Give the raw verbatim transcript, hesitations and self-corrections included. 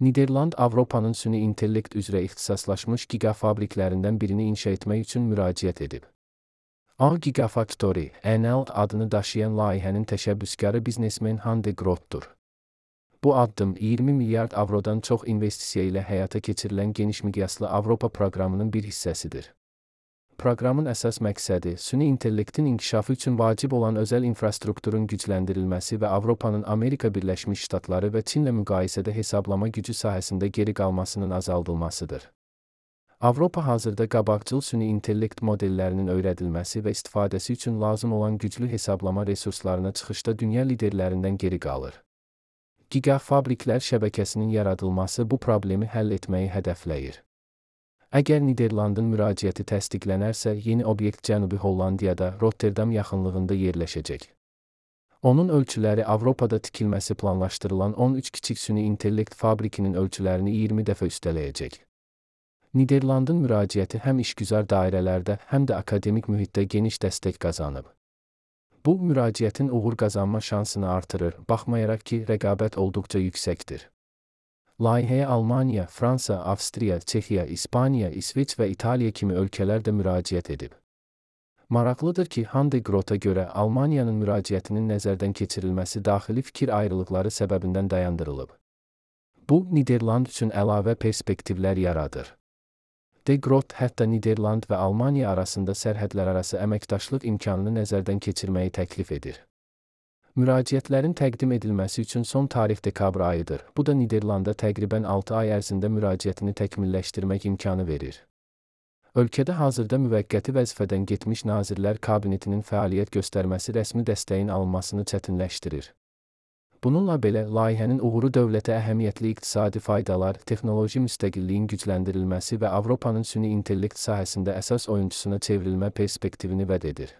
Niderland, Avropanın süni intellekt üzrə ixtisaslaşmış gigafabriklərindən birini inşa etmək üçün müraciət edib. A Gigafactory, N L adını daşıyan layihənin təşəbbüskarı biznesmen Han de Grootdur. Bu addım iyirmi milyard avrodan çox investisiya ilə həyata keçirilən geniş miqyaslı Avropa proqramının bir hissəsidir. Proqramın əsas məqsədi, süni intellektin inkişafı üçün vacib olan özəl infrastrukturun gücləndirilməsi və Avropanın Amerika Birləşmiş Ştatları və Çinlə müqayisədə hesablama gücü sahəsində geri qalmasının azaldılmasıdır. Avropa hazırda qabaqcıl süni intellekt modellərinin öyrədilməsi və istifadəsi üçün lazım olan güclü hesablama resurslarına çıxışda dünya liderlərindən geri qalır. Gigafabriklər şəbəkəsinin yaradılması bu problemi həll etməyi hədəfləyir. Əgər Niderlandın müraciəti təsdiqlənərsə, yeni obyekt Cənubi Hollandiyada, Rotterdam yaxınlığında yerləşəcək. Onun ölçüləri Avropada tikilməsi planlaşdırılan on üç kiçik süni intellekt fabrikinin ölçülərini iyirmi dəfə üstələyəcək. Niderlandın müraciəti həm işgüzar dairələrdə, həm də akademik mühitdə geniş dəstək qazanıb. Bu, müraciətin uğur qazanma şansını artırır, baxmayaraq ki, rəqabət olduqca yüksəkdir. Layihəyə Almaniya, Fransa, Avstriya, Çexiya, İspaniya, İsveç və İtaliya kimi ölkələr də müraciət edib. Maraqlıdır ki, Han de Groota görə Almaniyanın müraciətinin nəzərdən keçirilməsi daxili fikir ayrılıqları səbəbindən dayandırılıb. Bu, Niderland üçün əlavə perspektivlər yaradır. De Groot hətta Niderland və Almaniya arasında sərhədlərarası əməkdaşlıq imkanını nəzərdən keçirməyi təklif edir. Müraciətlərin təqdim edilməsi üçün son tarix dekabr ayıdır. Bu da Niderlanda təqribən altı ay ərzində müraciətini təkmilləşdirmək imkanı verir. Ölkədə hazırda müvəqqəti vəzifədən getmiş Nazirlər Kabinetinin fəaliyyət göstərməsi rəsmi dəstəyin alınmasını çətinləşdirir. Bununla belə, layihənin uğuru dövlətə əhəmiyyətli iqtisadi faydalar, texnoloji müstəqilliyin gücləndirilməsi və Avropanın süni intellekt sahəsində əsas oyunçusuna çevrilmə perspektivini vəd edir.